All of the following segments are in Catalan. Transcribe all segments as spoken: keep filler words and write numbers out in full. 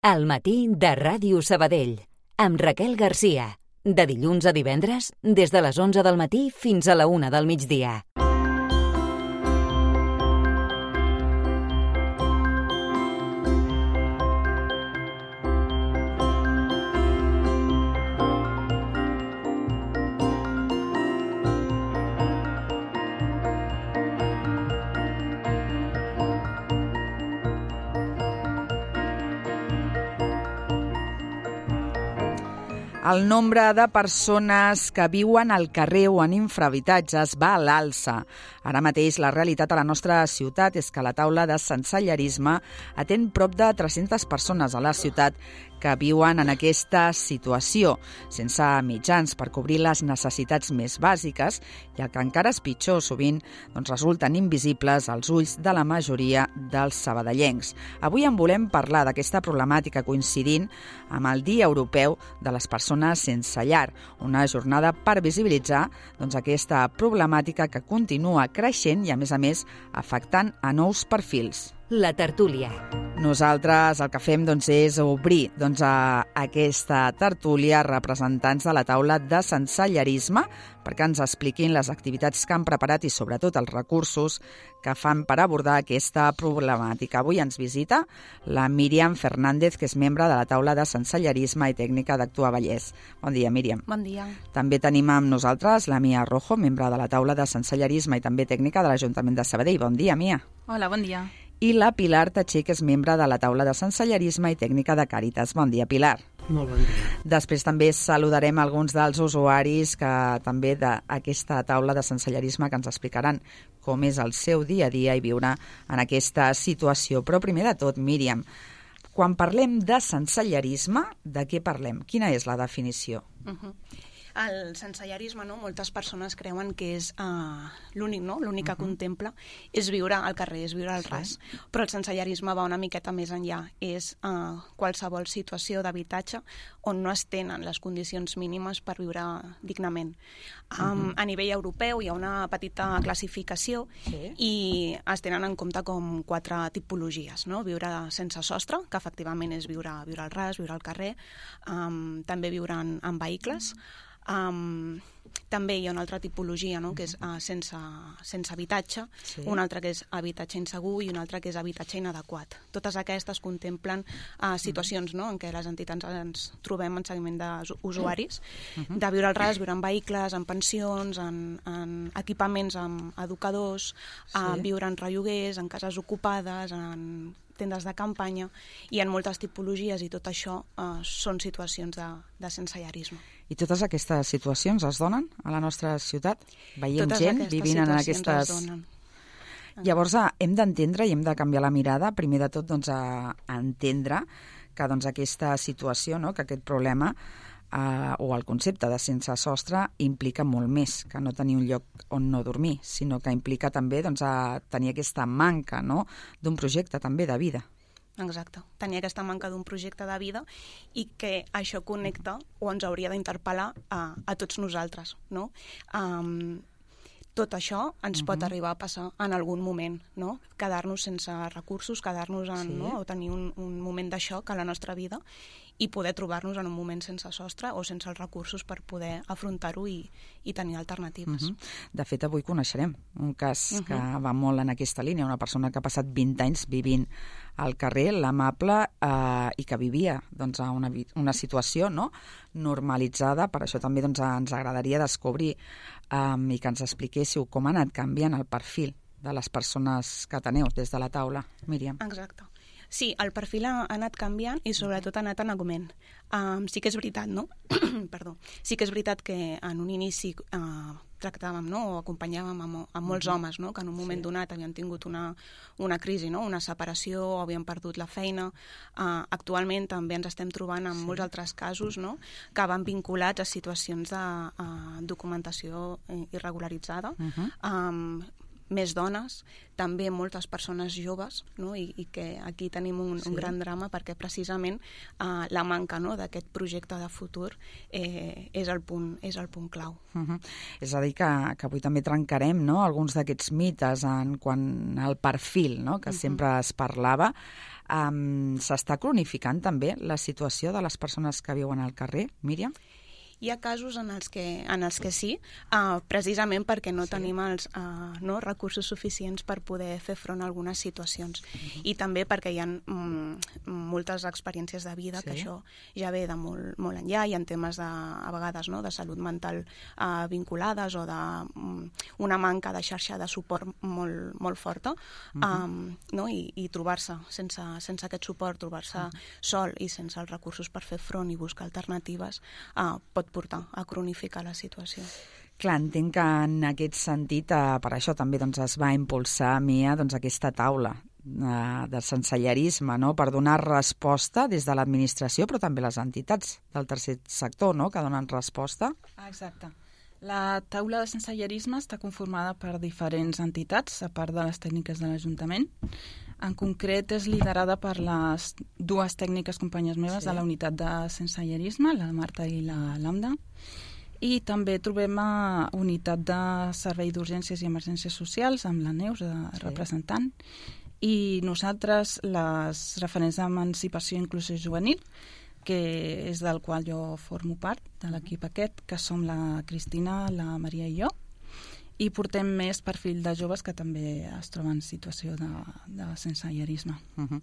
Al matí de Ràdio Sabadell, amb Raquel Garcia. De dilluns a divendres, des de les onze del matí fins a la una del migdia. El nombre de persones que viuen al carrer o en infrahabitatges va a l'alça. Ara mateix la realitat a la nostra ciutat és que la taula de sensellarisme atén prop de tres-centes persones a la ciutat que viuen en aquesta situació, sense mitjans per cobrir les necessitats més bàsiques i el que encara és pitjor, sovint doncs resulten invisibles als ulls de la majoria dels sabadellencs. Avui en volem parlar d'aquesta problemàtica coincidint amb el Dia Europeu de les Persones Sense Llar, una jornada per visibilitzar doncs, aquesta problemàtica que continua creixent i, a més a més, afectant a nous perfils. La tertúlia. Nosaltres el que fem doncs, és obrir doncs, a aquesta tertúlia representants de la taula de sensellarisme perquè ens expliquin les activitats que han preparat i sobretot els recursos que fan per abordar aquesta problemàtica. Avui ens visita la Míriam Fernández, que és membre de la taula de sensellarisme i tècnica d'Actua Vallès. Bon dia, Míriam. Bon dia. També tenim amb nosaltres la Mia Rojo, membre de la taula de sensellarisme i també tècnica de l'Ajuntament de Sabadell. Bon dia, Mia. Hola, bon dia. I la Pilar Tatxer, que és membre de la taula de sensellarisme i tècnica de Càritas. Bon dia, Pilar. Molt bon dia. Després també saludarem alguns dels usuaris que també d'aquesta taula de sensellarisme que ens explicaran com és el seu dia a dia i viure en aquesta situació. Però primer de tot, Míriam, quan parlem de sensellarisme, de què parlem? Quina és la definició? Uh-huh. El sensellarisme, no? Moltes persones creuen que és uh, l'únic, no? L'únic que uh-huh. contempla és viure al carrer, és viure al sí. ras. Però el sensellarisme va una miqueta més enllà. És uh, qualsevol situació d'habitatge on no es tenen les condicions mínimes per viure dignament. Um, uh-huh. A nivell europeu hi ha una petita classificació sí. i es tenen en compte com quatre tipologies, no? Viure sense sostre, que efectivament és viure, viure al ras, viure al carrer, um, també viure en, en vehicles. Um, també hi ha una altra tipologia, no? Que és uh, sense, sense habitatge, sí. una altra que és habitatge insegur i una altra que és habitatge inadequat. Totes aquestes contemplen uh, situacions no? en què les entitats ens trobem en seguiment d'usuaris, uh-huh. de viure al ras, viure en vehicles, en pensions, en, en equipaments amb educadors, sí. uh, viure en relloguers, en cases ocupades, en tendes de campanya, i en moltes tipologies, i tot això uh, són situacions de, de sensellarisme. I totes aquestes situacions es donen a la nostra ciutat? Veiem totes gent vivint en aquestes... Llavors hem d'entendre i hem de canviar la mirada, primer de tot doncs, a entendre que doncs, aquesta situació, no? que aquest problema Uh, o el concepte de sense sostre implica molt més que no tenir un lloc on no dormir, sinó que implica també doncs, a tenir aquesta manca no? d'un projecte també de vida. Exacte, tenir aquesta manca d'un projecte de vida i que això connecta o ens hauria d'interpel·lar a, a tots nosaltres. No? Um, tot això ens uh-huh. pot arribar a passar en algun moment, no? Quedar-nos sense recursos, quedar-nos en, sí. no? o tenir un, un moment de xoc a la nostra vida i poder trobar-nos en un moment sense sostre o sense els recursos per poder afrontar-ho i, i tenir alternatives. Uh-huh. De fet, avui coneixerem un cas uh-huh. que va molt en aquesta línia, una persona que ha passat vint anys vivint al carrer, l'Amable, eh, i que vivia doncs, a una, una situació no? normalitzada. Per això també doncs, ens agradaria descobrir um, i que ens expliquéssiu com ha anat canviant el perfil de les persones que teniu des de la taula. Míriam. Exacte. Sí, el perfil ha anat canviant i sobretot ha anat en augment. Um, sí que és veritat, no? Perdó. Sí que és veritat que en un inici uh, tractàvem no? o acompanyàvem amb, amb molts uh-huh. homes no? que en un moment sí. donat havien tingut una, una crisi, no? una separació o havien perdut la feina. Uh, actualment també ens estem trobant amb sí. molts altres casos no? que van vinculats a situacions de uh, documentació irregularitzada, uh-huh. um, més dones, també moltes persones joves, no? I, i que aquí tenim un, sí. un gran drama perquè precisament uh, la manca, no? d'aquest projecte de futur eh, és, el punt, és el punt clau. Uh-huh. És a dir, que, que avui també trencarem, no? alguns d'aquests mites en quant al perfil, no? que uh-huh. sempre es parlava. Um, s'està cronificant també la situació de les persones que viuen al carrer, Míriam? Hi ha casos en els que, en els que sí, uh, precisament perquè no sí. tenim els uh, no, recursos suficients per poder fer front a algunes situacions. Uh-huh. I també perquè hi ha mm, moltes experiències de vida, sí. que això ja ve de molt, molt enllà, hi ha temes de, a vegades no, de salut mental uh, vinculades o de um, una manca de xarxa de suport molt, molt forta, uh-huh. um, no? I, i trobar-se sense, sense aquest suport, trobar-se uh-huh. sol i sense els recursos per fer front i buscar alternatives, uh, pot portar a cronificar la situació. Clar, entenc que en aquest sentit, eh, per això també doncs, es va impulsar a Mia doncs, aquesta taula eh, de sensellarisme, no? per donar resposta des de l'administració, però també les entitats del tercer sector, no? que donen resposta. Exacte. La taula de sensellarisme està conformada per diferents entitats, a part de les tècniques de l'Ajuntament. En concret, és liderada per les dues tècniques companyes meves sí. de la unitat de sensellarisme, la Marta i la Lambda. I també trobem a unitat de servei d'urgències i emergències socials, amb la Neus, de sí. representant. I nosaltres, les referents d'emancipació i inclusió juvenil, que és del qual jo formo part, de l'equip aquest, que som la Cristina, la Maria i jo, i portem més perfil de joves que també es troben en situació de, de sensellarisme. Uh-huh.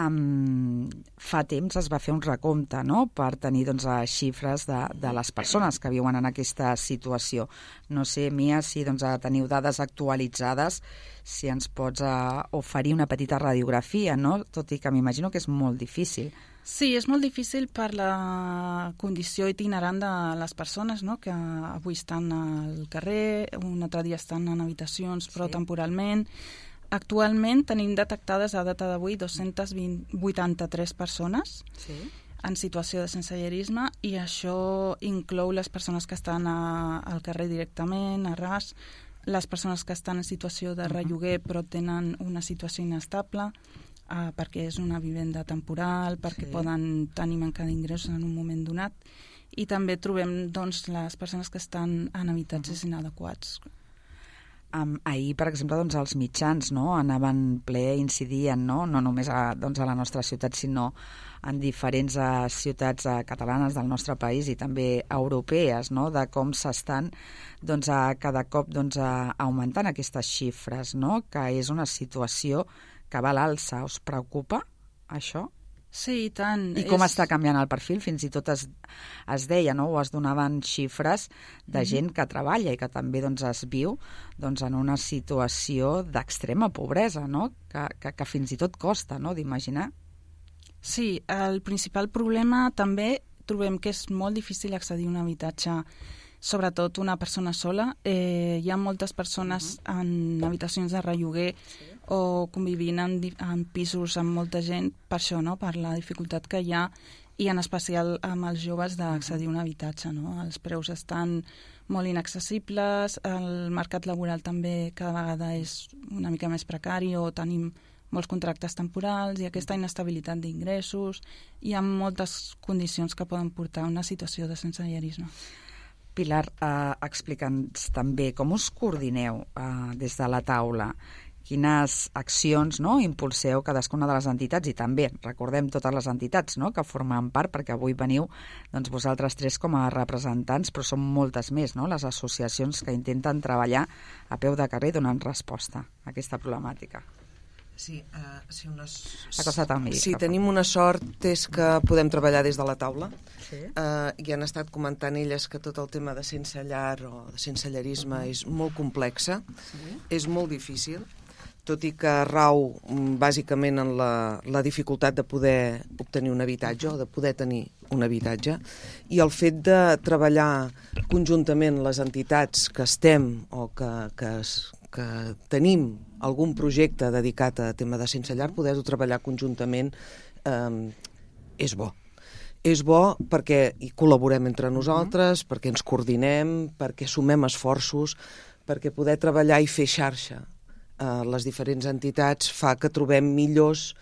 Um, fa temps es va fer un recompte, no?, per tenir doncs, xifres de, de les persones que viuen en aquesta situació. No sé, Mia, si doncs, teniu dades actualitzades, si ens pots uh, oferir una petita radiografia, no?, tot i que m'imagino que és molt difícil. Sí, és molt difícil per la condició itinerant de les persones, no?, que avui estan al carrer, un altre dia estan en habitacions, però sí. temporalment. Actualment tenim detectades a data d'avui dos-centes vuitanta-tres persones sí. en situació de sensellarisme, i això inclou les persones que estan a, al carrer directament, a ras, les persones que estan en situació de relloguer però tenen una situació inestable, Uh, perquè és una vivenda temporal, perquè sí. poden tenir manca d'ingressos en un moment donat, i també trobem doncs, les persones que estan en habitatges uh-huh. inadequats. Um, ahir, per exemple, doncs, els mitjans no, anaven ple, incidien, no, no només a, doncs, a la nostra ciutat, sinó en diferents uh, ciutats uh, catalanes del nostre país i també europees, no, de com s'estan doncs, uh, cada cop doncs, uh, augmentant aquestes xifres, no, que és una situació que va a l'alça. Us preocupa això? Sí, i tant. I com és... està canviant el perfil? Fins i tot es, es deia, no? o es donaven xifres de mm-hmm. gent que treballa i que també doncs, es viu doncs, en una situació d'extrema pobresa, no? que, que, que fins i tot costa no? d'imaginar. Sí, el principal problema també trobem que és molt difícil accedir a un habitatge, sobretot una persona sola. Eh, hi ha moltes persones uh-huh. en habitacions de relloguer sí. o convivint en, en pisos amb molta gent, per això, no? per la dificultat que hi ha, i en especial amb els joves d'accedir a un habitatge. No? Els preus estan molt inaccessibles, el mercat laboral també cada vegada és una mica més precari, o tenim molts contractes temporals i aquesta inestabilitat d'ingressos. Hi ha moltes condicions que poden portar a una situació de sensellarisme. Pilar, eh, explica'ns també com us coordineu eh, des de la taula, quines accions no, impulseu cadascuna de les entitats, i també recordem totes les entitats no, que formen part, perquè avui veniu doncs, vosaltres tres com a representants, però són moltes més no, les associacions que intenten treballar a peu de carrer donant resposta a aquesta problemàtica. Sí, uh, sí, una... sí, tenim una sort és que podem treballar des de la taula. Sí. Uh, i han estat comentant elles que tot el tema de sense llar o de sensellarisme uh-huh. és molt complexa, sí. és molt difícil, tot i que rau bàsicament en la, la dificultat de poder obtenir un habitatge o de poder tenir un habitatge, i el fet de treballar conjuntament les entitats que estem o que, que, que tenim algun projecte dedicat a tema de sense llar, poder-ho treballar conjuntament eh, és bo. És bo perquè hi col·laborem entre nosaltres, uh-huh. perquè ens coordinem, perquè sumem esforços, perquè poder treballar i fer xarxa eh, les diferents entitats fa que trobem millors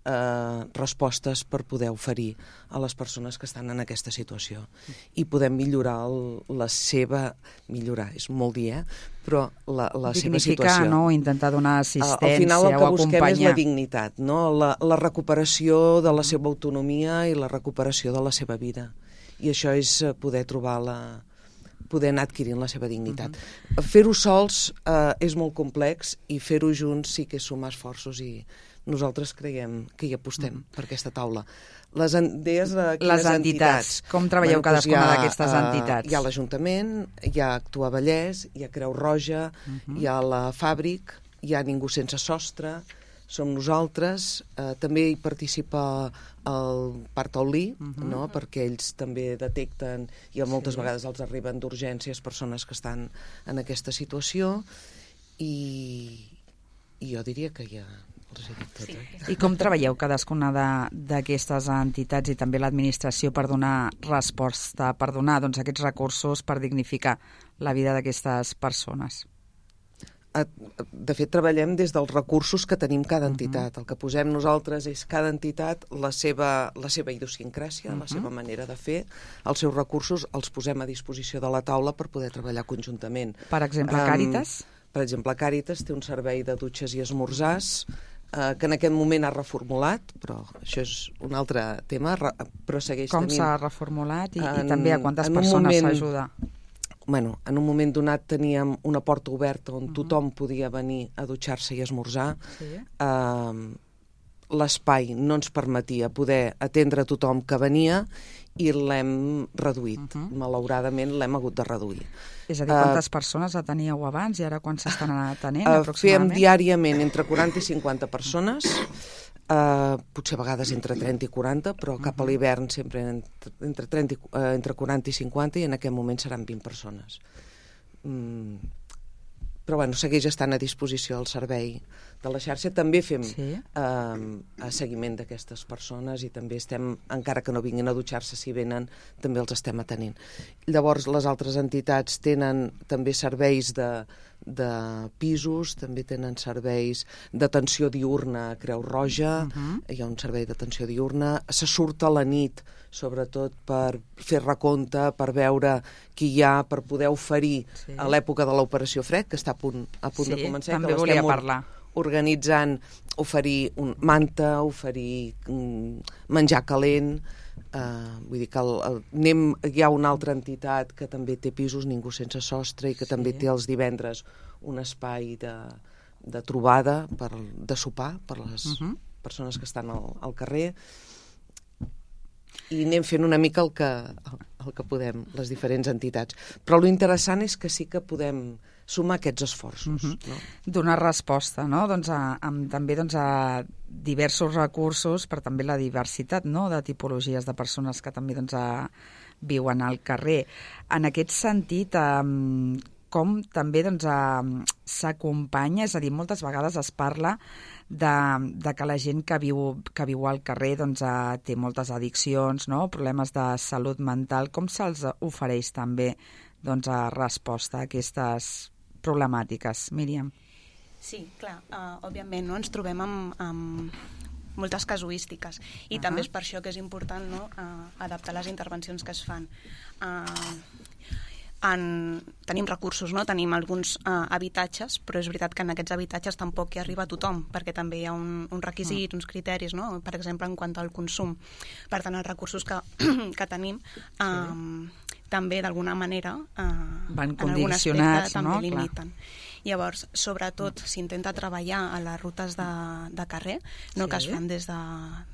eh, respostes per poder oferir a les persones que estan en aquesta situació. I podem millorar el, la seva... Millorar, és molt dir, eh? Però la, la seva situació. Dignificar, no? Intentar donar assistència Al final el que o busquem acompanyar. és la dignitat, no? La, la recuperació de la seva autonomia i la recuperació de la seva vida. I això és poder trobar la... poder anar adquirint la seva dignitat. Uh-huh. Fer-ho sols eh, és molt complex i fer-ho junts sí que és sumar esforços i nosaltres creiem que hi apostem uh-huh. per aquesta taula. Les, deies, uh, les entitats. entitats. Com treballeu bueno, cadascuna doncs d'aquestes uh, entitats? Hi ha l'Ajuntament, hi ha Actua Vallès, hi ha Creu Roja, uh-huh. hi ha la Fàbric, hi ha Ningú Sense Sostre, som nosaltres, eh, també hi participa el Parc Taulí, uh-huh. no? Perquè ells també detecten i moltes sí. vegades els arriben d'urgències persones que estan en aquesta situació i, i jo diria que ja els he dit tot. Eh? Sí. I com treballeu cadascuna d'aquestes entitats i també l'administració per donar resposta, per donar doncs, aquests recursos per dignificar la vida d'aquestes persones? De fet, treballem des dels recursos que tenim cada entitat. Uh-huh. El que posem nosaltres és cada entitat la seva, la seva idiosincràsia, uh-huh. la seva manera de fer, els seus recursos els posem a disposició de la taula per poder treballar conjuntament. Per exemple, Càritas? Um, per exemple, Càritas té un servei de dutxes i esmorzars uh, que en aquest moment ha reformulat, però això és un altre tema, però segueix Com tenint... s'ha reformulat i, en, i també a quantes persones s'ajuda? Bueno, en un moment donat teníem una porta oberta on uh-huh. tothom podia venir a dutxar-se i esmorzar. Sí. Uh, l'espai no ens permetia poder atendre tothom que venia i l'hem reduït. Uh-huh. Malauradament l'hem hagut de reduir. És a dir, quantes uh, persones ateníeu abans i ara quan s'estan atenent uh, Fèiem aproximadament? diàriament entre quaranta i cinquanta persones, uh, potser a vegades entre trenta i quaranta, però cap a l'hivern sempre entre, entre, trenta, uh, entre quaranta i cinquanta i en aquest moment seran vint persones. Mm. Però bueno, segueix estant a disposició el servei de la xarxa. També fem sí. eh, seguiment d'aquestes persones i també estem, encara que no vinguin a dutxar-se, si venen, també els estem atenent. Llavors, les altres entitats tenen també serveis de, de pisos, també tenen serveis d'atenció diurna a Creu Roja, uh-huh. hi ha un servei d'atenció diurna, se surt a la nit, sobretot per fer recompte, per veure qui hi ha, per poder oferir sí. a l'època de l'operació Fred, que està a punt, a punt sí, de començar. també que volia parlar. Organitzant, oferir un manta, oferir um, menjar calent, uh, vull dir que el, el, anem, hi ha una altra entitat que també té pisos, Ningú Sense Sostre, i que sí. també té els divendres un espai de, de trobada, per, de sopar, per les uh-huh. persones que estan al, al carrer, i anem fent una mica el que, el, el que podem, les diferents entitats. Però lo interessant és que sí que podem sumar aquests esforços. Uh-huh. no? Donar resposta, no? doncs a, amb, també doncs a diversos recursos, però també la diversitat no? de tipologies de persones que també doncs, a, viuen al carrer. En aquest sentit, um, com també doncs, s'acompanya, és a dir, moltes vegades es parla de, de que la gent que viu, que viu al carrer doncs, uh, té moltes addiccions, no? problemes de salut mental. Com se'ls ofereix també doncs, a resposta a aquestes problemàtiques? Míriam. Sí, clar, uh, òbviament no? ens trobem amb, amb moltes casuístiques i uh-huh. també és per això que és important no? uh, adaptar les intervencions que es fan. Uh, En, tenim recursos, no? tenim alguns uh, habitatges, però és veritat que en aquests habitatges tampoc hi arriba a tothom, perquè també hi ha un, un requisit, mm. uns criteris, no? per exemple, en quant al consum. Per tant, els recursos que, que tenim um, sí. també, d'alguna manera, uh, van en algun aspecte també no? limiten. Clar. Llavors, sobretot, s'intenta treballar a les rutes de, de carrer, no? sí. que es fan des de,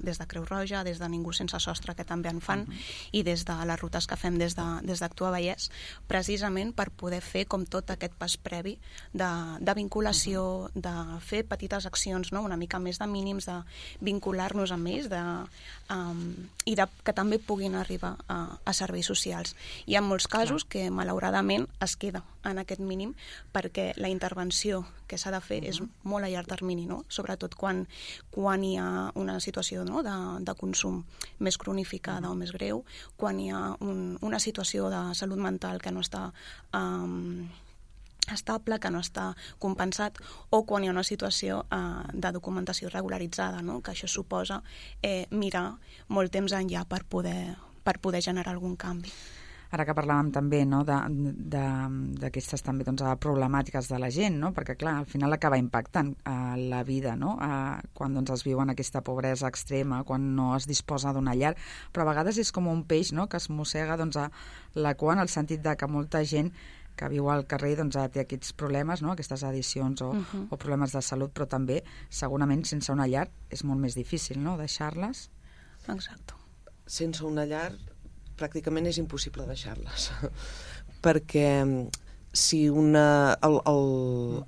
des de Creu Roja, des de Ningú Sense Sostre, que també en fan, uh-huh. i des de les rutes que fem des de, des d'Actua Vallès, precisament per poder fer com tot aquest pas previ de, de vinculació, uh-huh. de fer petites accions, no? una mica més de mínims, de vincular-nos amb ells, de, um, i de, que també puguin arribar a, a serveis socials. Hi ha molts casos Clar. que, malauradament, es queda en aquest mínim, perquè la intervenció que s'ha de fer uh-huh. és molt a llarg termini, no? sobretot quan, quan hi ha una situació no? de, de consum més cronificada uh-huh. o més greu, quan hi ha un, una situació de salut mental que no està um, estable, que no està compensat, o quan hi ha una situació eh, de documentació regularitzada, no? Que això suposa eh, mirar molt temps enllà per poder, per poder generar algun canvi. Ara que parlàvem també, no, d'aquestes també doncs, problemàtiques de la gent, no? Perquè clar, al final acaba impactant a la vida, no? A, quan doncs, es viu en aquesta pobresa extrema, quan no es disposa d'una llar, però a vegades és com un peix, no?, que es mossega doncs, a la cua, en el sentit de que molta gent que viu al carrer doncs, té aquests problemes, no?, aquestes addiccions o, uh-huh. o problemes de salut, però també segurament sense una llar és molt més difícil, no?, deixar-les. Exacte. Sense una llar pràcticament és impossible deixar-les, perquè si una... El, el,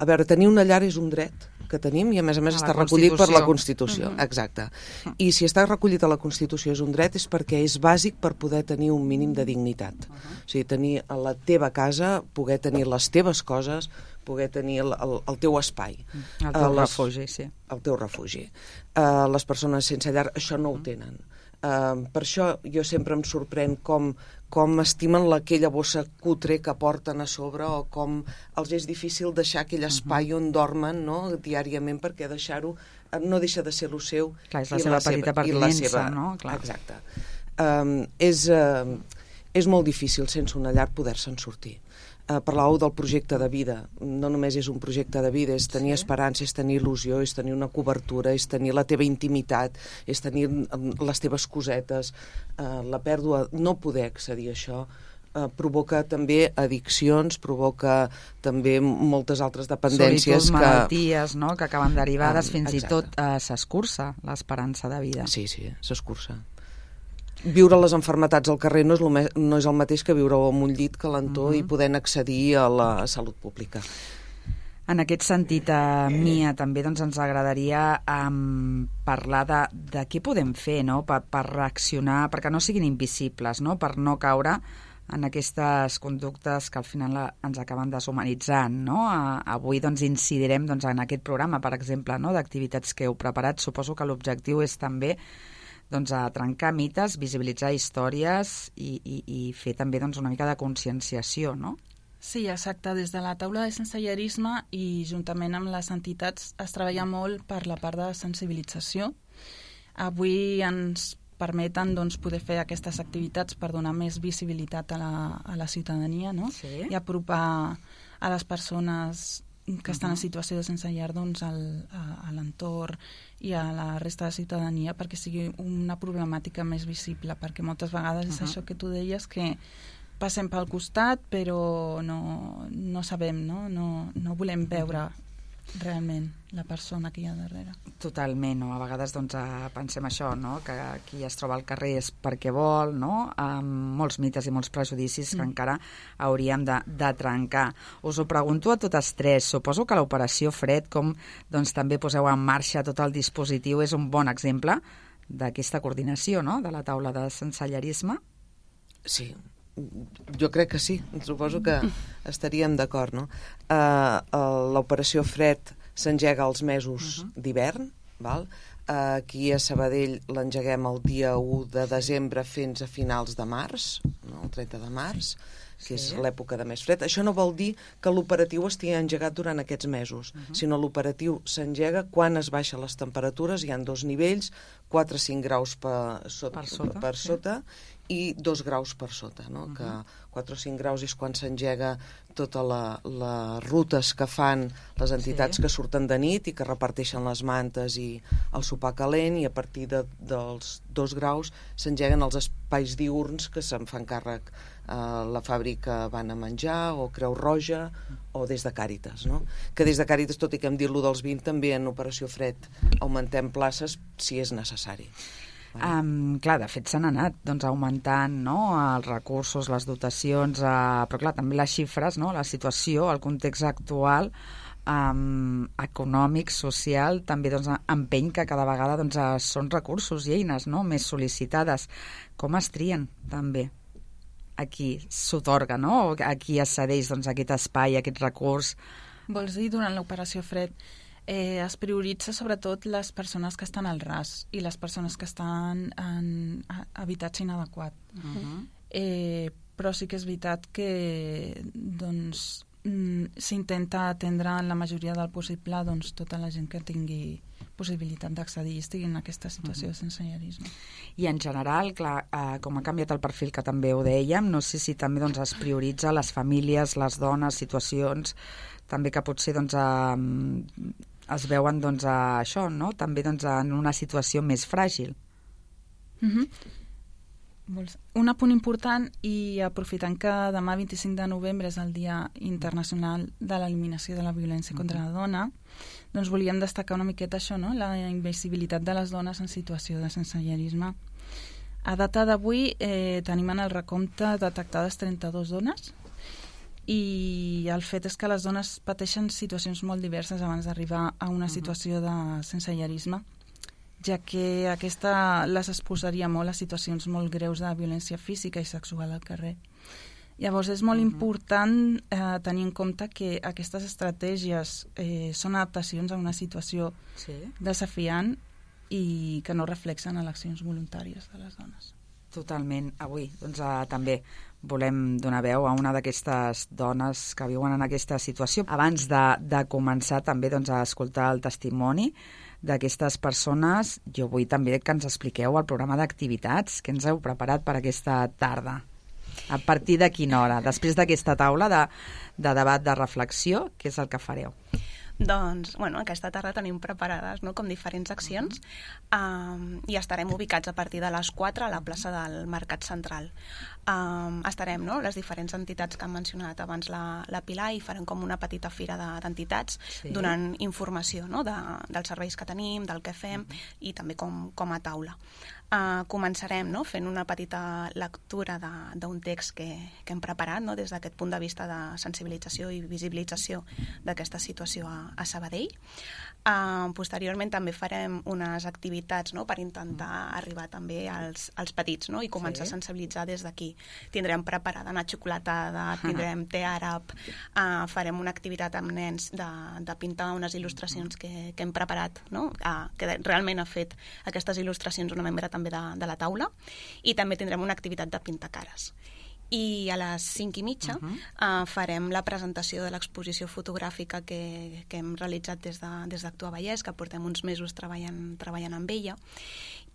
a veure, tenir una llar és un dret que tenim i a més a més a està recollit per la Constitució. Uh-huh. Exacte. I si està recollit a la Constitució és un dret és perquè és bàsic per poder tenir un mínim de dignitat. Uh-huh. O sigui, tenir a la teva casa, poder tenir les teves coses, poder tenir el, el, el teu espai. El teu uh, les, refugi, sí. El teu refugi. Uh, les persones sense llar això no ho tenen. Uh, per això jo sempre em sorprèn com, com estimen aquella bossa cutre que porten a sobre o com els és difícil deixar aquell espai on dormen, no?, diàriament, perquè deixar-ho no deixa de ser el seu. Clar, és la seva petita pertinença, no? Clar. Exacte. Um, és, uh, és molt difícil sense una llar poder-se'n sortir. Uh, parlàveu del projecte de vida. No només és un projecte de vida, és tenir sí. esperança, és tenir il·lusió, és tenir una cobertura, és tenir la teva intimitat, és tenir les teves cosetes. Uh, la pèrdua, no poder accedir a això, uh, provoca també addiccions, provoca també moltes altres dependències. Solitud, malalties, no?, que acaben derivades, um, fins exacte. i tot uh, s'escurça l'esperança de vida. Sí, sí, s'escurça. Viure les enfermetats al carrer no és, me no és el mateix que viure en un llit calentó uh-huh. i poder accedir a la salut pública. En aquest sentit, a Mia, també doncs, ens agradaria um, parlar de, de què podem fer, no?, per, per reaccionar, perquè no siguin invisibles, no?, per no caure en aquestes conductes que al final ens acaben deshumanitzant, no? A, avui doncs, incidirem doncs, en aquest programa, per exemple, no?, d'activitats que heu preparat. Suposo que l'objectiu és també doncs, a trencar mites, visibilitzar històries i, i, i fer també doncs, una mica de conscienciació, no? Sí, exacte. Des de la taula de sensellarisme i juntament amb les entitats es treballa molt per la part de sensibilització. Avui ens permeten doncs, poder fer aquestes activitats per donar més visibilitat a la, a la ciutadania, no? Sí. I apropar a les persones que estan en situació de sense llar doncs, al, a, a l'entorn i a la resta de ciutadania perquè sigui una problemàtica més visible, perquè moltes vegades és uh-huh. això que tu deies, que passem pel costat però no, no sabem, no? No, no volem veure realment la persona que hi ha darrere. Totalment, no? A vegades doncs, pensem això, no?, que qui es troba al carrer és perquè vol, no?, amb molts mites i molts prejudicis mm. que encara hauríem de, de trencar. Us ho pregunto a totes tres. Suposo que l'operació Fred, com doncs, també poseu en marxa tot el dispositiu, és un bon exemple d'aquesta coordinació, no?, de la taula de sensellarisme. Sí, jo crec que sí, suposo que estaríem d'acord, no? Uh, uh, l'operació Fred s'engega als mesos uh-huh. d'hivern, val? Uh, aquí a Sabadell l'engeguem el dia u de desembre fins a finals de març, no? El trenta de març, que sí. és l'època de més fred. Això no vol dir que l'operatiu estigui engegat durant aquests mesos, uh-huh. sinó l'operatiu s'engega quan es baixen les temperatures, hi ha dos nivells, quatre a cinc graus per sota, per sota, per sota sí. i dos graus per sota, no? Uh-huh. Que quatre o cinc graus és quan s'engega totes la, les rutes que fan les entitats sí. que surten de nit i que reparteixen les mantes i el sopar calent, i a partir de, dels dos graus s'engeguen els espais diürns que se'n fan càrrec a la fàbrica Van a Menjar o Creu Roja o des de Càritas, no? Que des de Càritas, tot i que hem dit lo dels vint, també en Operació Fred augmentem places si és necessari. Um, clar, de fet s'han anat doncs, augmentant, no?, els recursos, les dotacions, uh, però clar, també les xifres, no?, la situació, el context actual um, econòmic, social, també doncs, empeny que cada vegada doncs, són recursos i eines, no?, més sol·licitades. Com es trien, també? A qui s'otorga, no?, a qui es cedeix doncs, aquest espai, aquest recurs? Vols dir, durant l'operació Fred, Eh, es prioritza sobretot les persones que estan al ras i les persones que estan en habitatge inadequat. Uh-huh. eh, però sí que és veritat que doncs, s'intenta atendre en la majoria del possible doncs, tota la gent que tingui possibilitat d'accedir i estigui en aquesta situació de sensellarisme. I en general, clar, eh, com ha canviat el perfil, que també ho dèiem, no sé si també doncs, es prioritza les famílies, les dones, situacions, també que potser doncs, eh, es veuen doncs, a això, no? També doncs, en una situació més fràgil. Mm-hmm. Un apunt important, i aprofitant que demà vint-i-cinc de novembre és el Dia Internacional de l'Eliminació de la Violència contra la Dona, doncs volíem destacar una miqueta això, no? La invisibilitat de les dones en situació de sensellarisme. A data d'avui eh, tenim en el recompte detectades trenta-dues dones, i el fet és que les dones pateixen situacions molt diverses abans d'arribar a una situació de sensellarisme, ja que aquesta les exposaria molt a situacions molt greus de violència física i sexual al carrer. Llavors és molt uh -huh. important eh, tenir en compte que aquestes estratègies eh, són adaptacions a una situació sí. desafiant i que no reflexen eleccions voluntàries de les dones. Totalment. Avui doncs, eh, també volem donar veu a una d'aquestes dones que viuen en aquesta situació. Abans de, de començar també doncs, a escoltar el testimoni d'aquestes persones, jo vull també que ens expliqueu el programa d'activitats que ens heu preparat per aquesta tarda. A partir de quina hora? Després d'aquesta taula de, de debat, de reflexió, què és el que fareu? Doncs, bueno, aquesta tarda tenim preparades, no?, com diferents accions, um, i estarem ubicats a partir de les quatre a la plaça del Mercat Central. Um, estarem, no?, les diferents entitats que han mencionat abans la, la Pilar, i farem com una petita fira d'entitats sí. donant informació, no?, de, dels serveis que tenim, del que fem, uh-huh. i també com, com a taula. Uh, començarem, no?, fent una petita lectura d'un text que, que hem preparat, no?, des d'aquest punt de vista de sensibilització i visibilització d'aquesta situació a, a Sabadell. Uh, posteriorment també farem unes activitats, no?, per intentar arribar també als, als petits, no?, i començar sí. a sensibilitzar des d'aquí. Tindrem preparada una xocolatada, tindrem te àrab, uh, farem una activitat amb nens de, de pintar unes il·lustracions que, que hem preparat, no?, uh, que realment ha fet aquestes il·lustracions una membre també de, de la taula, i també tindrem una activitat de pintar cares. I a les cinc i mitja uh-huh. uh, farem la presentació de l'exposició fotogràfica que, que hem realitzat des de, des d'Actua Vallès, que portem uns mesos treballant, treballant amb ella.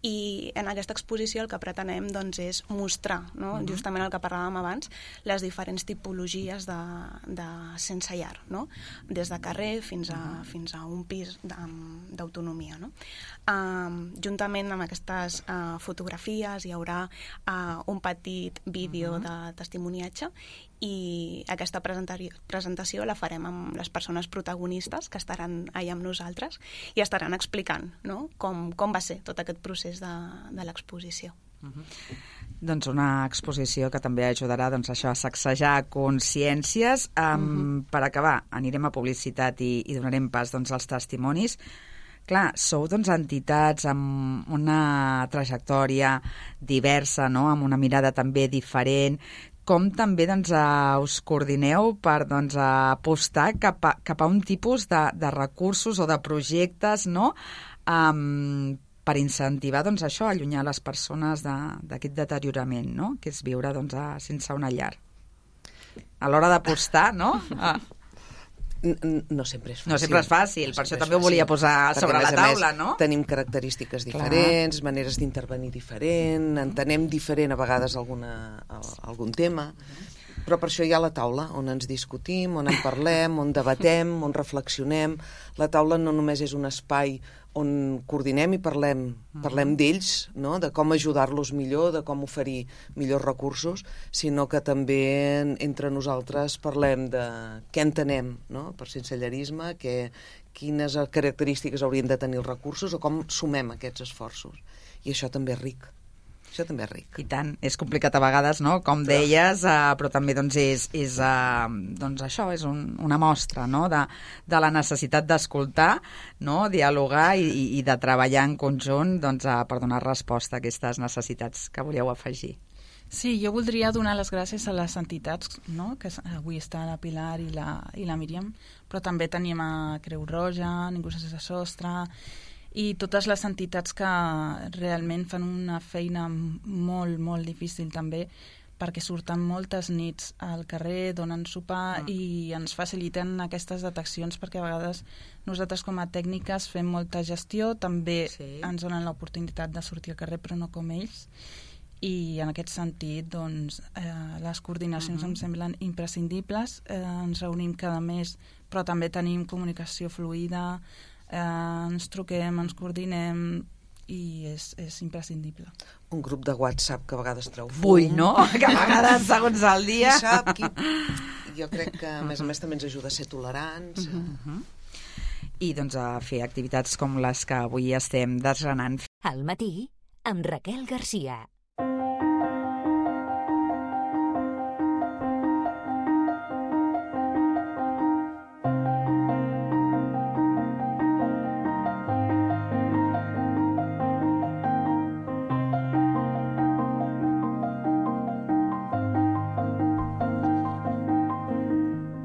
I en aquesta exposició el que pretenem doncs, és mostrar, no? uh-huh. justament el que parlàvem abans, les diferents tipologies de, de sense llar, no? Des de carrer fins a, uh-huh. fins a un pis d'autonomia. No? Uh, juntament amb aquestes uh, fotografies hi haurà uh, un petit vídeo uh-huh. de testimoniatge, i aquesta presentació la farem amb les persones protagonistes que estaran allà amb nosaltres i estaran explicant, no?, com, com va ser tot aquest procés de, de l'exposició. Uh-huh. Doncs una exposició que també ajudarà doncs, això a sacsejar consciències. Um, uh-huh. Per acabar, anirem a publicitat i, i donarem pas doncs, als testimonis. Clar, sou doncs, entitats amb una trajectòria diversa, no?, amb una mirada també diferent. Com també doncs, uh, us coordineu per doncs, uh, apostar cap a, cap a un tipus de, de recursos o de projectes, no?, um, per incentivar doncs, això, allunyar les persones d'aquest de, deteriorament, no?, que és viure doncs, a, sense una llar. A l'hora d'apostar, no? Ah. No sempre és fàcil. No sempre és fàcil, no per això també ho volia posar perquè, sobre la taula, més, no? Tenim característiques diferents, clar, maneres d'intervenir diferent, entenem diferent a vegades alguna, algun tema, però per això hi ha la taula, on ens discutim, on en parlem, on debatem, on reflexionem. La taula no només és un espai on coordinem i parlem, parlem d'ells, no?, de com ajudar-los millor, de com oferir millors recursos, sinó que també entre nosaltres parlem de què entenem, no?, per sensellarisme, que, quines característiques haurien de tenir els recursos o com sumem aquests esforços. I això també és ric. Això també és ric. I tant, és complicat a vegades, no?, com deies, uh, però també doncs, és, és, uh, doncs, això, és un, una mostra, no?, de, de la necessitat d'escoltar, no?, dialogar i, i de treballar en conjunt doncs, uh, per donar resposta a aquestes necessitats que volíeu afegir. Sí, jo voldria donar les gràcies a les entitats, no?, que avui està la Pilar i la, i la Míriam, però també tenim a Creu Roja, Ningú sense sostre, i totes les entitats que realment fan una feina molt, molt difícil també perquè surten moltes nits al carrer, donen sopar Ah. i ens faciliten aquestes deteccions, perquè a vegades nosaltres com a tècniques fem molta gestió, també Sí. ens donen l'oportunitat de sortir al carrer, però no com ells, i en aquest sentit doncs, eh, les coordinacions Mhm. em semblen imprescindibles, eh, ens reunim cada mes, però també tenim comunicació fluida, eh, ens truquem, ens coordinem, i és, és imprescindible. Un grup de WhatsApp que a vegades treu fum. Vull, no? Que a vegades, segons el Qui dia... sap, qui... Jo crec que, a més a més, també ens ajuda a ser tolerants. Uh -huh. I doncs a fer activitats com les que avui estem desgranant. Al matí, amb Raquel Garcia.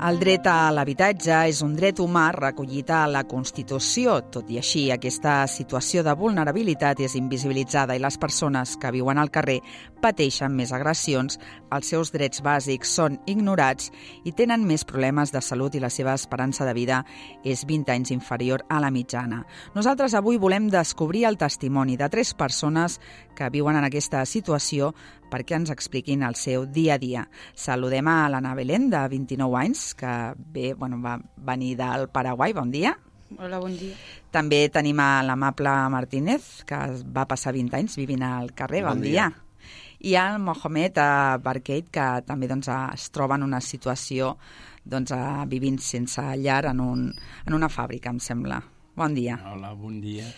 El dret a l'habitatge és un dret humà recollit a la Constitució. Tot i així, aquesta situació de vulnerabilitat és invisibilitzada i les persones que viuen al carrer pateixen més agressions, els seus drets bàsics són ignorats i tenen més problemes de salut i la seva esperança de vida és vint anys inferior a la mitjana. Nosaltres avui volem descobrir el testimoni de tres persones que viuen en aquesta situació perquè ens expliquin el seu dia a dia. Saludem a l'Anna Belén, de vint-i-nou anys, que bé, bueno, va venir del Paraguai. Bon dia. Hola, bon dia. També tenim a l'amable Martínez, que va passar vint anys vivint al carrer. Bon, Bon dia. dia. I al Mohamed Barkeit, que també doncs, es troba en una situació doncs, vivint sense llar en, un, en una fàbrica, em sembla. Bon dia. Hola, bon dia.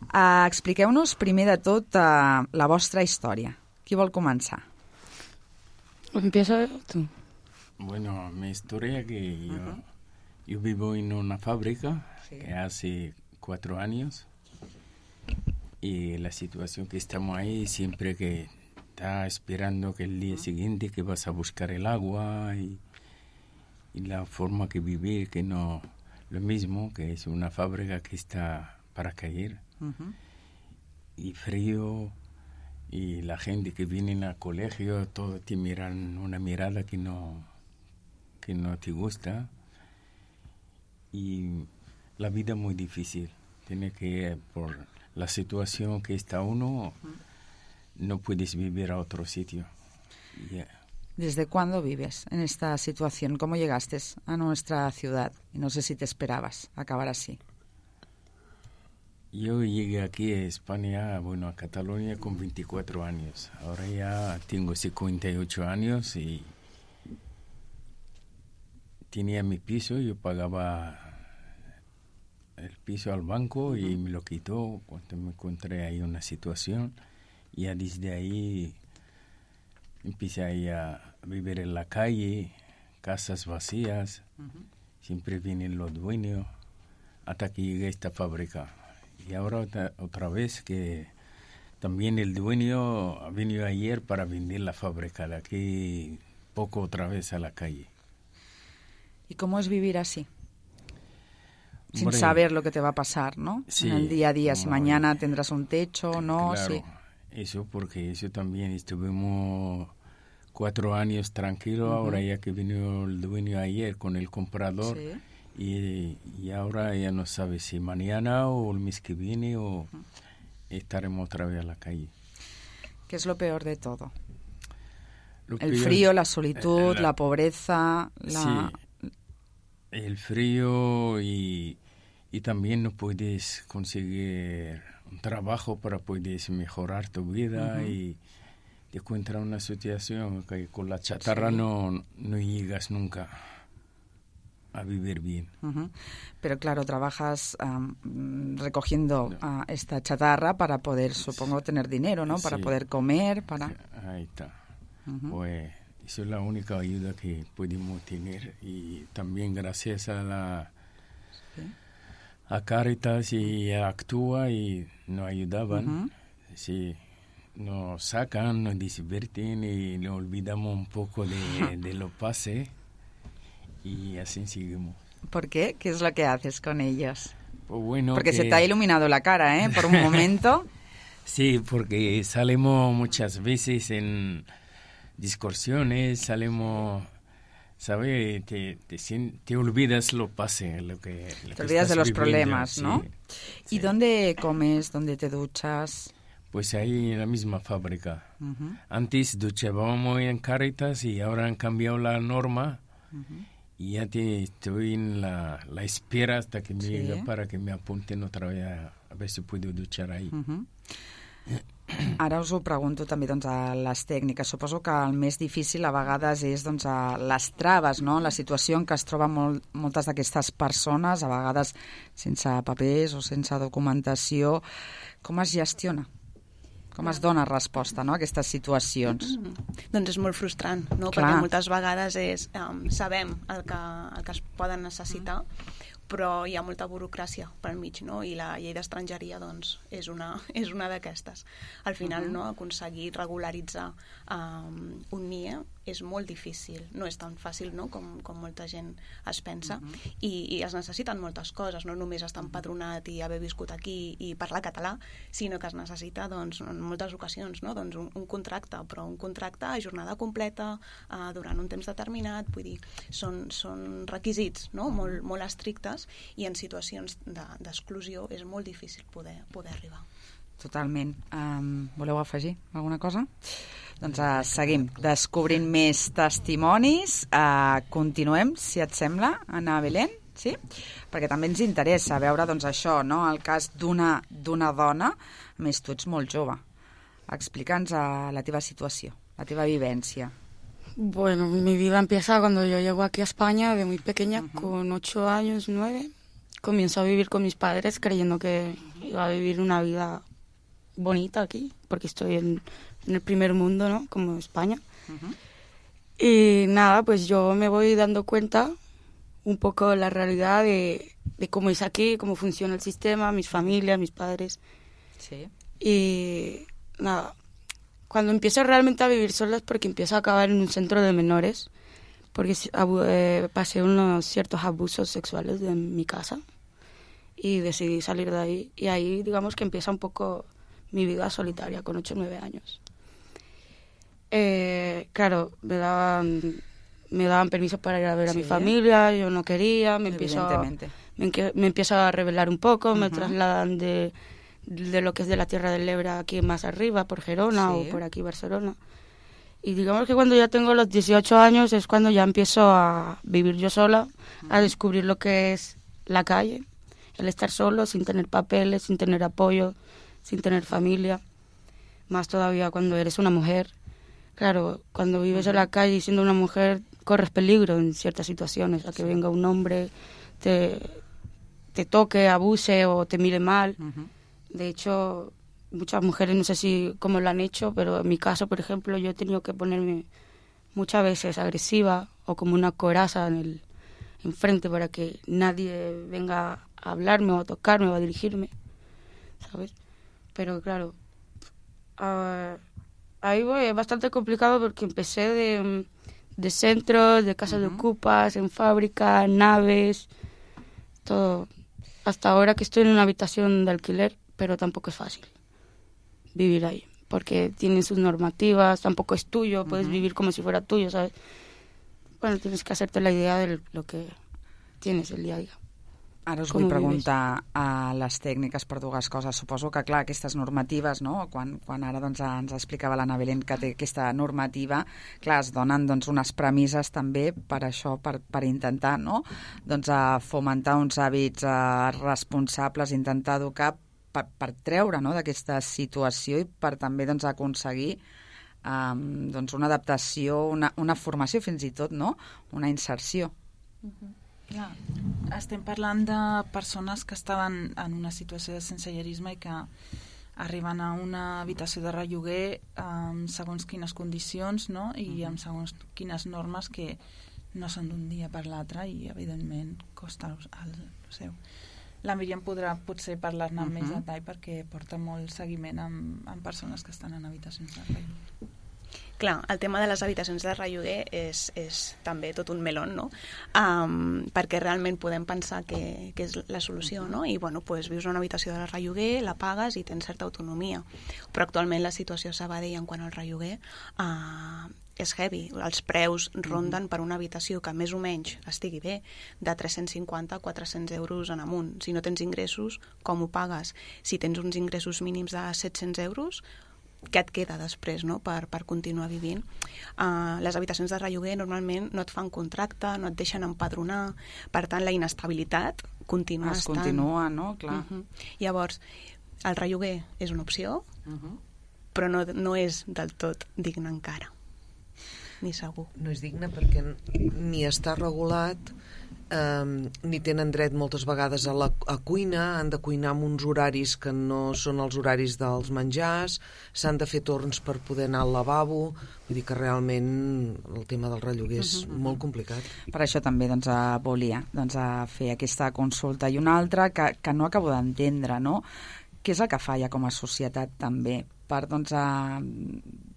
Uh, expliqueu-nos primer de tot uh, la vostra història. Qui vol començar? Empieza tú. Bueno, mi historia que yo, Ajá. yo vivo en una fábrica Sí. que hace cuatro años y la situación que estamos ahí siempre que está esperando que el día siguiente que vas a buscar el agua y, y la forma que vivir que no lo mismo, que es una fábrica que está para caer Uh-huh. y frío y la gente que viene al colegio todos te miran una mirada que no que no te gusta y la vida muy difícil tiene que por la situación que está uno no puedes vivir a otro sitio. Yeah. ¿Desde cuándo vives en esta situación? ¿Cómo llegaste a nuestra ciudad? Y no sé si te esperabas acabar así. Yo llegué aquí a España, bueno, a Cataluña con veinticuatro años. Ahora ya tengo cincuenta y ocho años y tenía mi piso, yo pagaba el piso al banco y me lo quitó cuando me encontré ahí una situación. Y ya desde ahí empecé ahí a vivir en la calle, casas vacías, siempre vienen los dueños, hasta que llegué a esta fábrica. Y ahora otra, otra vez que también el dueño ha venido ayer para vender la fábrica de aquí, poco otra vez a la calle. ¿Y cómo es vivir así? Sin Hombre, saber lo que te va a pasar, ¿no? sí, en el día a día, si no, mañana eh, tendrás un techo o no, claro, sí. eso porque eso también estuvimos cuatro años tranquilos, ahora ya que vino el dueño ayer con el comprador. Sí. Y, y ahora ya no sabe si mañana o el mes que viene o uh-huh. estaremos otra vez a la calle. ¿Qué es lo peor de todo? Lo El peor, frío, la solitud, eh, la, la pobreza, la... Sí, el frío y, y también no puedes conseguir un trabajo para poder mejorar tu vida uh-huh. y te encuentras en una situación que con la chatarra sí. no, no llegas nunca a vivir bien. Uh-huh. Pero claro, trabajas um, recogiendo no. uh, esta chatarra para poder, supongo, tener dinero, ¿no? Para sí. poder comer, para... Ahí está. Uh-huh. Pues esa es la única ayuda que podemos tener y también gracias a la ¿sí? a Caritas y a Actúa y nos ayudaban. Uh-huh. Sí, nos sacan, nos divierten y nos olvidamos un poco de, de lo pase. Y así seguimos. ¿Por qué? ¿Qué es lo que haces con ellos? Pues bueno, porque que... se te ha iluminado la cara, ¿eh? Por un momento. Sí, porque salimos muchas veces en discusiones, salimos, ¿sabes? Te, te, te olvidas lo pase, lo que lo Te que olvidas estás de los viviendo, problemas, sí, ¿no? sí. ¿Y dónde comes? ¿Dónde te duchas? Pues ahí en la misma fábrica. Uh-huh. Antes duchábamos en Caritas y ahora han cambiado la norma. Uh-huh. Y ya te, estoy en la, la espera hasta que me Sí. llegue para que me apunten otra vez a, a ver si puedo duchar ahí. Uh-huh. Ara us ho pregunto també doncs, a les tècniques. Suposo que el més difícil a vegades és doncs, a les traves, no? La situació en què es troben molt, moltes d'aquestes persones, a vegades sense papers o sense documentació. Com es gestiona? Com es dona resposta, no, a aquestes situacions? Mm. Doncs és molt frustrant, no? Clar. Perquè moltes vegades és, um, sabem el que, el que es poden necessitar, mm. però hi ha molta burocràcia pel mig, no? I la llei d'estrangeria, doncs, és una, és una d'aquestes. Al final, uh-huh. no, aconseguir regularitzar um, un N I E és molt difícil. No és tan fàcil, no?, com, com molta gent es pensa. Uh-huh. I, I es necessiten moltes coses, no només estar empadronat i haver viscut aquí i parlar català, sinó que es necessita, doncs, en moltes ocasions, no?, doncs un, un contracte, però un contracte a jornada completa, uh, durant un temps determinat, vull dir, són, són requisits, no?, molt, molt estrictes, i en situacions d'exclusió és molt difícil poder, poder arribar. Totalment. Um, voleu afegir alguna cosa? Doncs uh, seguim descobrint més testimonis. Uh, continuem, si et sembla, Ana Belén, sí? Perquè també ens interessa veure doncs, això, no? El cas d'una d'una dona, a més tu ets molt jove. Explica'ns uh, la teva situació, la teva vivència. Bueno, mi vida empieza cuando yo llego aquí a España de muy pequeña, Uh-huh. con ocho años, nueve. Comienzo a vivir con mis padres creyendo que iba a vivir una vida bonita aquí, porque estoy en, en el primer mundo, ¿no?, como España. Uh-huh. Y nada, pues yo me voy dando cuenta un poco de la realidad de, de cómo es aquí, cómo funciona el sistema, mis familias, mis padres. Sí. Y nada, cuando empiezo realmente a vivir sola es porque empiezo a acabar en un centro de menores, porque eh, pasé unos ciertos abusos sexuales en mi casa y decidí salir de ahí. Y ahí, digamos que empieza un poco mi vida solitaria, con ocho o nueve años. Eh, claro, me daban, me daban permiso para ir a ver a Sí. mi familia, yo no quería, me empiezo, a, Evidentemente. me, enque- me empiezo a rebelar un poco, me Ujú. trasladan de, de lo que es de la Tierra del Ebre aquí más arriba, por Gerona Sí. o por aquí Barcelona. Y digamos que cuando ya tengo los dieciocho años es cuando ya empiezo a vivir yo sola, a descubrir lo que es la calle, el estar solo, sin tener papeles, sin tener apoyo, sin tener familia, más todavía cuando eres una mujer. Claro, cuando vives en la calle y siendo una mujer corres peligro en ciertas situaciones, a que venga un hombre, te, te toque, abuse o te mire mal. Uh-huh. De hecho, muchas mujeres, no sé si cómo lo han hecho, pero en mi caso, por ejemplo, yo he tenido que ponerme muchas veces agresiva o como una coraza en el enfrente para que nadie venga a hablarme o a tocarme o a dirigirme, ¿sabes? Pero claro, uh, ahí voy, es bastante complicado porque empecé de, de centros, de casas Uh-huh. de ocupas, en fábricas, naves, todo. Hasta ahora que estoy en una habitación de alquiler, pero tampoco es fácil vivir ahí, porque tienen sus normativas, tampoco es tuyo, puedes Uh-huh. vivir como si fuera tuyo, ¿sabes? Bueno, tienes que hacerte la idea de lo que tienes el día a día. Ara us Com vull ho preguntar a les tècniques per dues coses. Suposo que, clar, aquestes normatives, no? Quan, quan ara doncs, ens explicava l'Anna Belén que té aquesta normativa, clar, es donen doncs, unes premisses també per això, per, per intentar, no?, doncs, a fomentar uns hàbits eh, responsables, intentar educar per, per treure, no?, d'aquesta situació i per també doncs, aconseguir um, doncs, una adaptació, una, una formació fins i tot, no?, una inserció. Uh-huh. Clar, estem parlant de persones que estaven en una situació de sensellarisme i que arriben a una habitació de relloguer amb segons quines condicions, no?, i amb segons quines normes que no són d'un dia per l'altre i, evidentment, costa el, el seu. La Míriam podrà potser parlar-ne amb uh-huh. més detall perquè porta molt seguiment amb, amb persones que estan en habitacions de relloguer. Clar, el tema de les habitacions de relloguer és, és també tot un melón, no? Um, perquè realment podem pensar que, que és la solució, no? I, bueno, pues, vius en una habitació de relloguer, la pagues i tens certa autonomia. Però actualment la situació a Sabadell en quant al relloguer uh, és heavy. Els preus ronden per una habitació que més o menys estigui bé de tres-cents cinquanta a quatre-cents euros en amunt. Si no tens ingressos, com ho pagues? Si tens uns ingressos mínims de set-cents euros, què et queda després, no?, per, per continuar vivint? Uh, les habitacions de relloguer normalment no et fan contracte, no et deixen empadronar, per tant la inestabilitat continua es estant. Es continua, no? Clar. Uh -huh. Llavors, el relloguer és una opció, Uh -huh. però no, no és del tot digne encara, ni segur. No és digne perquè ni està regulat, eh, ni tenen dret moltes vegades a la a cuina, han de cuinar amb uns horaris que no són els horaris dels menjars, s'han de fer torns per poder anar al lavabo, vull dir que realment el tema del relloguer és uh -huh. molt complicat. Per això també doncs, volia doncs, fer aquesta consulta. I una altra que, que no acabo d'entendre, no?, què és el que falla com a societat també per doncs, a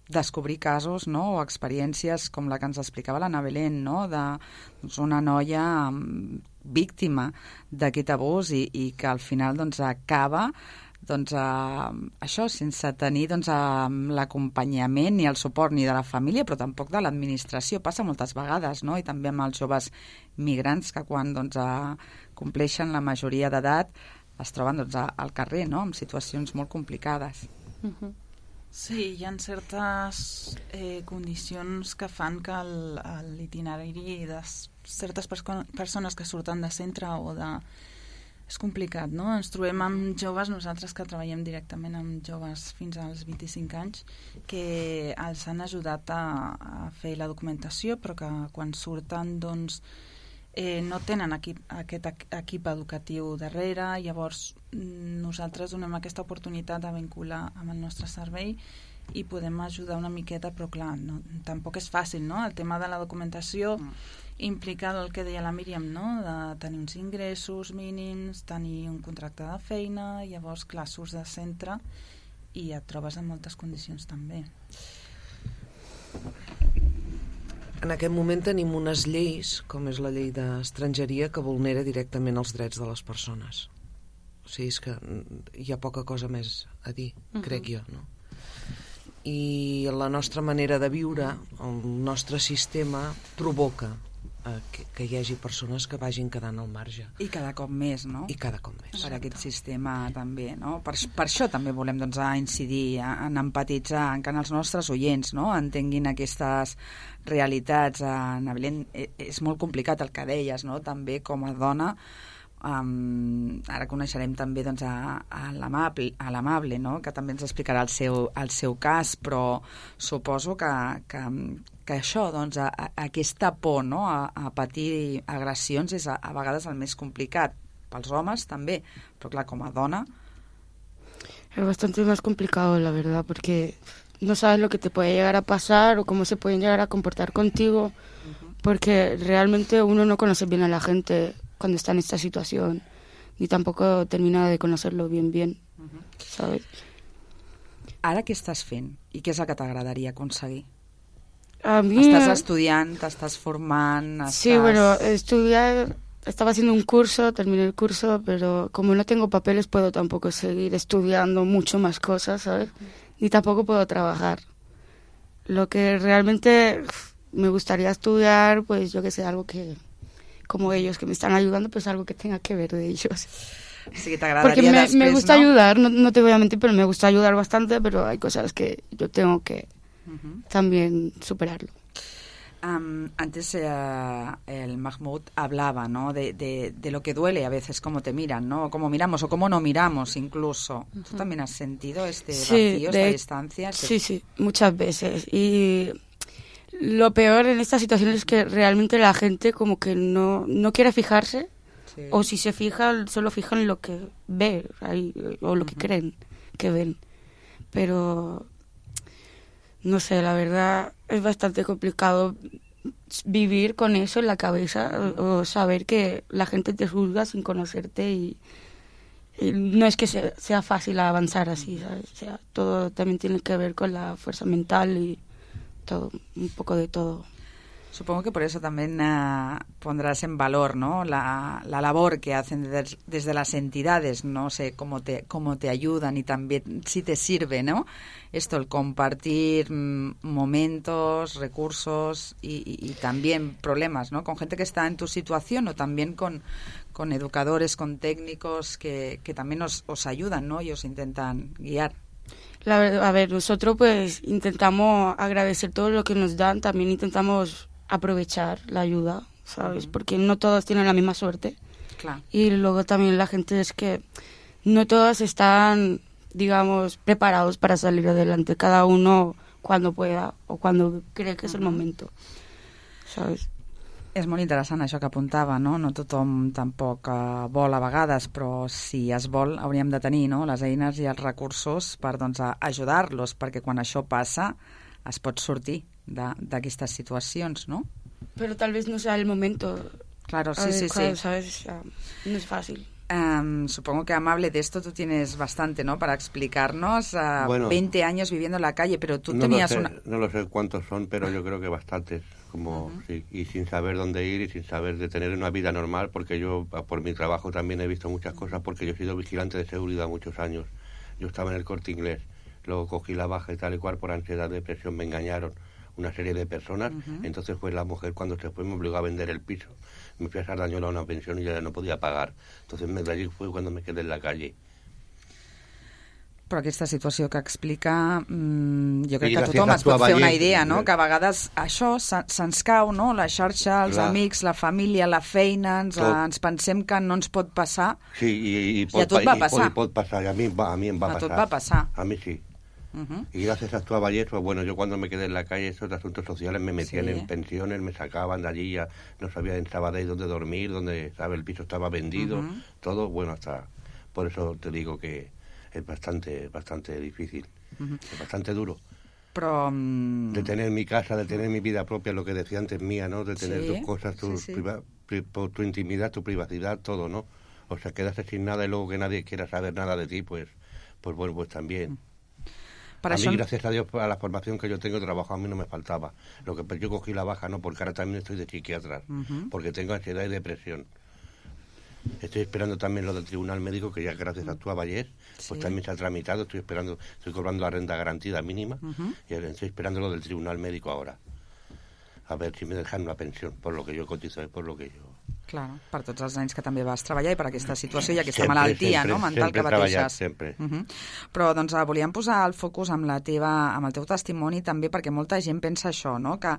descobrir casos, no?, o experiències com la que ens explicava l'Anna Belén, no?, de doncs, una noia um, víctima d'aquest abús i, i que al final doncs, acaba doncs, uh, això, sense tenir doncs, uh, l'acompanyament ni el suport ni de la família, però tampoc de l'administració. Passa moltes vegades, no?, i també amb els joves migrants que quan doncs, uh, compleixen la majoria d'edat es troben doncs, al carrer, no?, en situacions molt complicades. Uh-huh. Sí, hi ha certes eh, condicions que fan que l'itinerari de certes perso persones que surten de centre o de... És complicat, no? Ens trobem amb joves, nosaltres que treballem directament amb joves fins als vint-i-cinc anys, que els han ajudat a, a fer la documentació, però que quan surten, doncs, Eh, no tenen equip, aquest equip educatiu darrere, llavors nosaltres donem aquesta oportunitat de vincular amb el nostre servei i podem ajudar una miqueta, però clar, no, tampoc és fàcil, no? El tema de la documentació mm. implica el que deia la Míriam, no?, de tenir uns ingressos mínims, tenir un contracte de feina, llavors clar, surts de centre i et trobes en moltes condicions també. En aquest moment tenim unes lleis, com és la llei d'estrangeria, que vulnera directament els drets de les persones. O sigui, és que hi ha poca cosa més a dir, uh-huh. crec jo, no? I la nostra manera de viure, el nostre sistema, provoca eh, que, que hi hagi persones que vagin quedant al marge. I cada cop més, no? I cada cop més. Per aquest sistema també, no? Per, per això també volem doncs, a incidir, a, en empatitzar, en que els nostres oients no? entenguin aquestes realitats. Anna Belén, és molt complicat el que deies, no? També com a dona. Um, ara coneixerem també doncs, a, a l'Amable, no? Que també ens explicarà el seu, el seu cas, però suposo que, que, que això, doncs, a, a, aquesta por, no? a, a patir agressions és a, a vegades el més complicat, pels homes també, però clar, com a dona... Es bastante más complicado, la verdad, porque no sabes lo que te puede llegar a pasar o cómo se pueden llegar a comportar contigo, uh-huh. porque realmente uno no conoce bien a la gente cuando está en esta situación, ni tampoco termina de conocerlo bien, bien, uh-huh. ¿sabes? Ara què estàs fent? I què és el que t'agradaria aconseguir? A mí... Estàs estudiant, t'estàs formant... Estàs... Sí, bueno, estudiar... Estaba haciendo un curso, terminé el curso, pero como no tengo papeles puedo tampoco seguir estudiando mucho más cosas, ¿sabes? Ni tampoco puedo trabajar. Lo que realmente me gustaría estudiar, pues yo que sé, algo que, como ellos que me están ayudando, pues algo que tenga que ver de ellos. Sí, t'agradaria Porque me, després, me gusta ¿no? ayudar, no, no te voy a mentir, pero me gusta ayudar bastante, pero hay cosas que yo tengo que uh-huh. también superarlo. Um, antes eh, el Mahmoud hablaba, ¿no? De, de, de lo que duele a veces, cómo te miran, ¿no? Cómo miramos o cómo no miramos incluso. Uh-huh. ¿Tú también has sentido este sí, vacío, de, esta distancia? Sí, sí, muchas veces. Y lo peor en esta situación es que realmente la gente como que no, no quiere fijarse, sí. o si se fija, solo fijan en lo que ve ahí, o lo uh-huh. que creen que ven. Pero... no sé, la verdad es bastante complicado vivir con eso en la cabeza o, o saber que la gente te juzga sin conocerte y, y no es que sea, sea fácil avanzar así, ¿sabes? O sea, todo también tiene que ver con la fuerza mental y todo, un poco de todo. Supongo que por eso también uh, pondrás en valor, ¿no?, la, la labor que hacen des, desde las entidades, no sé cómo te, cómo te ayudan y también si te sirve, ¿no?, esto, el compartir mm, momentos, recursos y, y, y también problemas, ¿no?, con gente que está en tu situación o también con, con educadores, con técnicos que, que también os, os ayudan, ¿no?, y os intentan guiar. La verdad, a ver, nosotros pues intentamos agradecer todo lo que nos dan, también intentamos aprovechar la ayuda, ¿sabes? Uh-huh. Porque no todos tienen la misma suerte. Claro. Y luego también la gente es que no todos están, digamos, preparados para salir adelante, cada uno cuando pueda o cuando cree que és el momento, ¿sabes? És molt interessant això que apuntava, no? No tothom tampoc uh, vol a vegades, però si es vol hauríem de tenir, no?, les eines i els recursos per, doncs, ajudar-los, perquè quan això passa es pot sortir d'aquestes situacions, ¿no? Pero tal vez no sea el momento. Claro, sí, sí, claro, sí. ¿sabes? No es fácil. Um, supongo que, Amable, de esto tú tienes bastante, ¿no?, para explicarnos. Uh, bueno, veinte años viviendo en la calle, pero tú no tenías lo sé, una... No lo sé cuántos son, pero yo creo que bastantes. Como, uh-huh. sí, y sin saber dónde ir y sin saber de tener una vida normal, porque yo, por mi trabajo, también he visto muchas cosas, porque yo he sido vigilante de seguridad muchos años. Yo estaba en el Corte Inglés, luego cogí la baja y tal y cual por ansiedad, depresión, me engañaron una serie de personas, uh-huh. entonces fue la mujer cuando se fue me obligó a vender el piso, me fui a Sardañola a una pensión y ya no podía pagar, entonces me, de allí fue cuando me quedé en la calle. Però aquesta situació que explica, mmm, jo crec I que tothom es pot fer una idea, no?, eh? que a vegades això se, se'ns cau, no?, la xarxa, els Clar. amics, la família, la feina, ens, ens pensem que no ens pot passar, sí, i, i, pot, i a tot va passar. I, i pot passar, i a mi, a mi em va a passar. A tot va passar. A mi sí. Uh-huh. Y gracias a tu Vallés, pues bueno, yo cuando me quedé en la calle, esos asuntos sociales me metían sí. en pensiones, me sacaban de allí, ya no sabía en Sabadell dónde dormir, dónde, ¿sabes? El piso estaba vendido, uh-huh. todo, bueno, hasta, por eso te digo que es bastante, bastante difícil, uh-huh. es bastante duro. Pero, um... de tener mi casa, de tener mi vida propia, lo que decía antes mía, ¿no? De tener sí. tus cosas, tu, sí, sí. Priva, pri, tu intimidad, tu privacidad, todo, ¿no? O sea, quedarse sin nada y luego que nadie quiera saber nada de ti, pues, pues bueno, pues también. Para a mí, son... gracias a Dios, a la formación que yo tengo, trabajo a mí no me faltaba. Lo que yo cogí la baja, no, porque ahora también estoy de psiquiatra, uh-huh. porque tengo ansiedad y depresión. Estoy esperando también lo del tribunal médico, que ya gracias a tu Vallés, pues sí. también se ha tramitado. Estoy esperando, estoy cobrando la renta garantida mínima uh-huh. y estoy esperando lo del tribunal médico ahora. A ver si me dejan una pensión por lo que yo cotizo y por lo que yo... Claro, per tots els anys que també vas treballar i per aquesta situació i aquesta sempre, malaltia sempre, no, mental que pateixes. Sempre. Uh-huh. Però doncs, volíem posar el focus amb, la teva, amb el teu testimoni també perquè molta gent pensa això, no? que,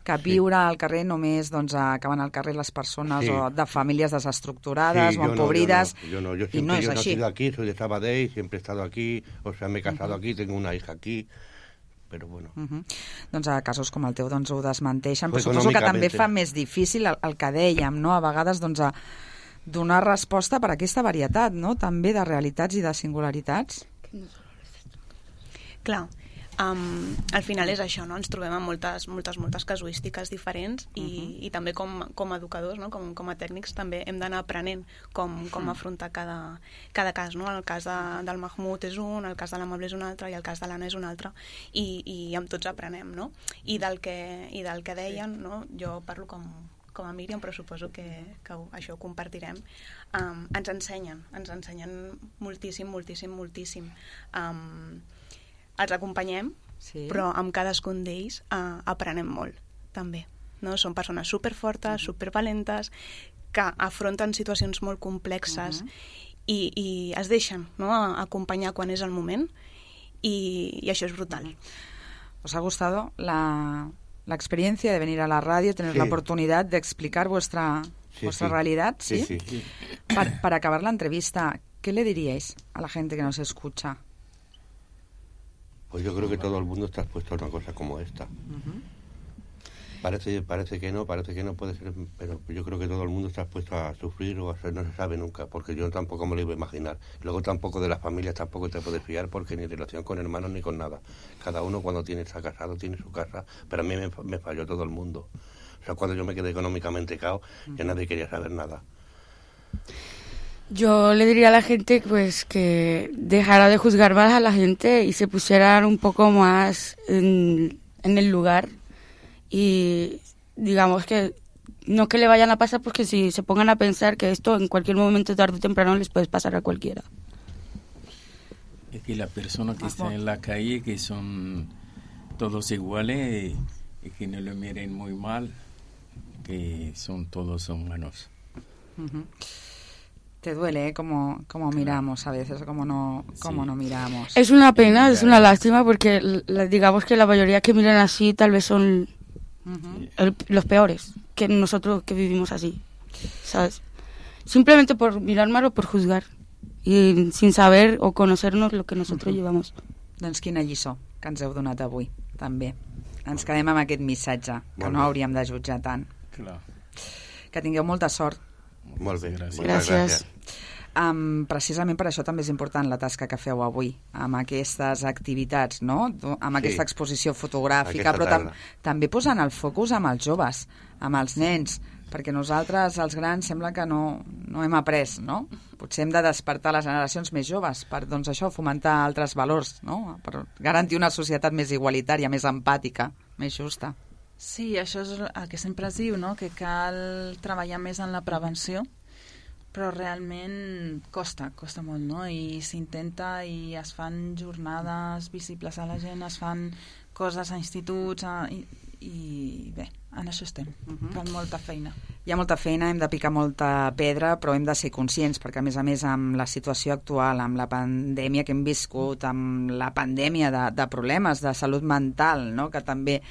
que viure sí. al carrer només doncs, acaben al carrer les persones sí. o de famílies desestructurades sí, o empobrides, no, yo no, yo no. Yo siempre, i no és yo així. Yo he nacido aquí, soy de Sabadell, siempre he estado aquí, o sea, me he casado uh-huh. aquí, tengo una hija aquí, però bueno. Uh-huh. Doncs a casos com el teu doncs, ho desmenteixen, però suposo que també fa més difícil el, el que dèiem, no? A vegades doncs, a donar resposta per a aquesta varietat, no? També de realitats i de singularitats. Clar, um, al final és això, no? Ens trobem amb moltes, moltes, moltes casuístiques diferents i, uh-huh. i també com, com a educadors, no? com, com a tècnics, també hem d'anar aprenent com, com uh-huh. afrontar cada, cada cas, no? El cas de, del Mahmoud és un, el cas de l'Amable és un altre i el cas de l'Anna és un altre i, i amb tots aprenem, no? I del que, i del que deien, no? Jo parlo com, com a Míriam, però suposo que, que això ho compartirem, um, ens ensenyen, ens ensenyen moltíssim, moltíssim, moltíssim. Um, els acompanyem, sí. però amb cadascun d'ells uh, aprenem molt, també. No? Són persones superfortes, uh-huh. supervalentes, que afronten situacions molt complexes uh-huh. i, i es deixen, no? acompanyar quan és el moment i, i això és brutal. Uh-huh. ¿Os ha gustado la, la experiencia de venir a la radio, tener sí. la oportunidad de explicar vuestra, sí, vuestra sí. realidad? ¿sí? Sí, sí. Para, para acabar la entrevista, ¿qué le diríais a la gente que nos escucha? Pues yo creo que todo el mundo está expuesto a una cosa como esta. Uh-huh. Parece, parece que no, parece que no puede ser, pero yo creo que todo el mundo está expuesto a sufrir o a ser, no se sabe nunca, porque yo tampoco me lo iba a imaginar. Luego tampoco de las familias tampoco te puedes fiar, porque ni relación con hermanos ni con nada. Cada uno cuando tiene está casado tiene su casa, pero a mí me, me falló todo el mundo. O sea, cuando yo me quedé económicamente cao, uh-huh. ya nadie quería saber nada. Yo le diría a la gente pues que dejara de juzgar más a la gente y se pusieran un poco más en, en el lugar y digamos que no que le vayan a pasar, porque si se pongan a pensar que esto en cualquier momento, tarde o temprano, les puede pasar a cualquiera. Es que las personas que están en la calle, que son todos iguales, y que no lo miren muy mal, que son todos humanos. Uh-huh. Te duele, ¿eh? Como, como miramos a veces, como no, como sí. no miramos. Es una pena, es una lástima, porque la, digamos que la mayoría que miran así tal vez son uh-huh. el, los peores, que nosotros que vivimos así, ¿sabes? Simplemente por mirar mal o por juzgar, i sin saber o conocernos lo que nosotros uh-huh. llevamos. Doncs quina lliçó que ens heu donat avui, també. Ens quedem amb aquest missatge, que molt no bé. Hauríem de jutjar tant. Clar. Que tingueu molta sort. Molt bé, gràcies. gràcies. Um, precisament per això també és important la tasca que feu avui, amb aquestes activitats, no? Amb aquesta sí. exposició fotogràfica, aquesta però tam també posant el focus amb els joves, amb els nens, perquè nosaltres, els grans, sembla que no, no hem après, no? Potser hem de despertar les generacions més joves per, doncs això, fomentar altres valors, no? Per garantir una societat més igualitària, més empàtica, més justa. Sí, això és el que sempre es diu, no? Que cal treballar més en la prevenció, però realment costa, costa molt, no? I s'intenta i es fan jornades visibles a la gent, es fan coses a instituts, a, i, i bé, en això estem. Uh-huh. Cal molta feina. Hi ha molta feina, hem de picar molta pedra, però hem de ser conscients, perquè a més a més amb la situació actual, amb la pandèmia que hem viscut, amb la pandèmia de, de problemes de salut mental, no? Que també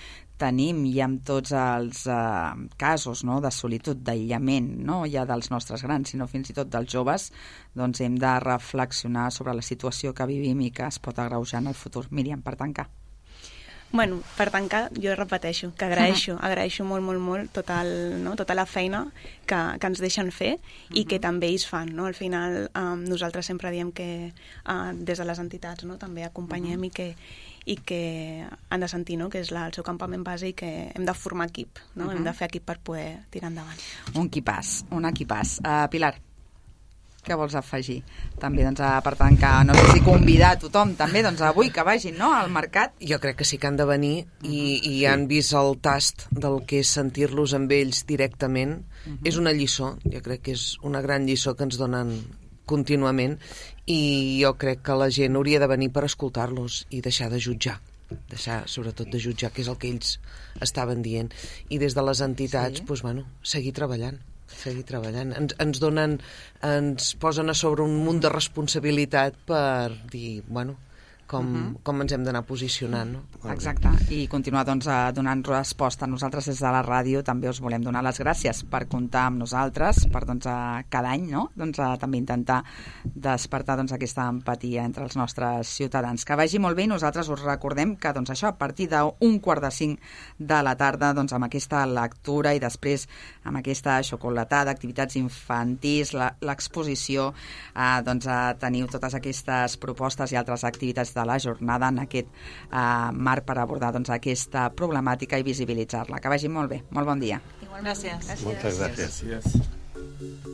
tenim i amb tots els eh, casos, no? De solitud, d'aïllament, no ja dels nostres grans, sinó fins i tot dels joves, doncs hem de reflexionar sobre la situació que vivim i que es pot agreujar en el futur. Míriam, per tancar. Bueno, per tancar, jo repeteixo, que agraeixo, agraeixo molt, molt, molt tota, el, no? tota la feina que, que ens deixen fer i que també ells fan, no? Al final, um, nosaltres sempre diem que uh, des de les entitats, no? També acompanyem i que i que han de sentir, no? Que és la, el seu campament base i que hem de formar equip, no? Uh-huh. Hem de fer equip per poder tirar endavant. Un equipàs, un equipàs. Uh, Pilar, què vols afegir? També, doncs, per tancar, no sé si convidar a tothom també, doncs, avui que vagin, no?, al mercat. Jo crec que sí que han de venir i, i han vist el tast del que és sentir-los amb ells directament. Uh-huh. És una lliçó, jo crec que és una gran lliçó que ens donen contínuament i jo crec que la gent hauria de venir per escoltar-los i deixar de jutjar, deixar sobretot de jutjar, que és el que ells estaven dient, i des de les entitats sí. doncs, bueno, seguir treballant seguir treballant, ens, ens donen ens posen a sobre un munt de responsabilitat per dir, bueno, com, uh-huh. com ens hem d'anar posicionant, no? Exacte, i continuar doncs donant resposta. Nosaltres des de la ràdio també us volem donar les gràcies per comptar amb nosaltres, per doncs a, cada any, no? Doncs a, també intentar despertar doncs aquesta empatia entre els nostres ciutadans. Que vagi molt bé i nosaltres us recordem que doncs això, a partir d'un quart de cinc de la tarda, doncs amb aquesta lectura i després amb aquesta xocolatada, activitats infantils, l'exposició, eh, doncs a, teniu totes aquestes propostes i altres activitats de la jornada en aquest uh, marc per abordar doncs, aquesta problemàtica i visibilitzar-la. Que vagi molt bé. Molt bon dia. Igualment. Gràcies. Moltes gràcies. gràcies.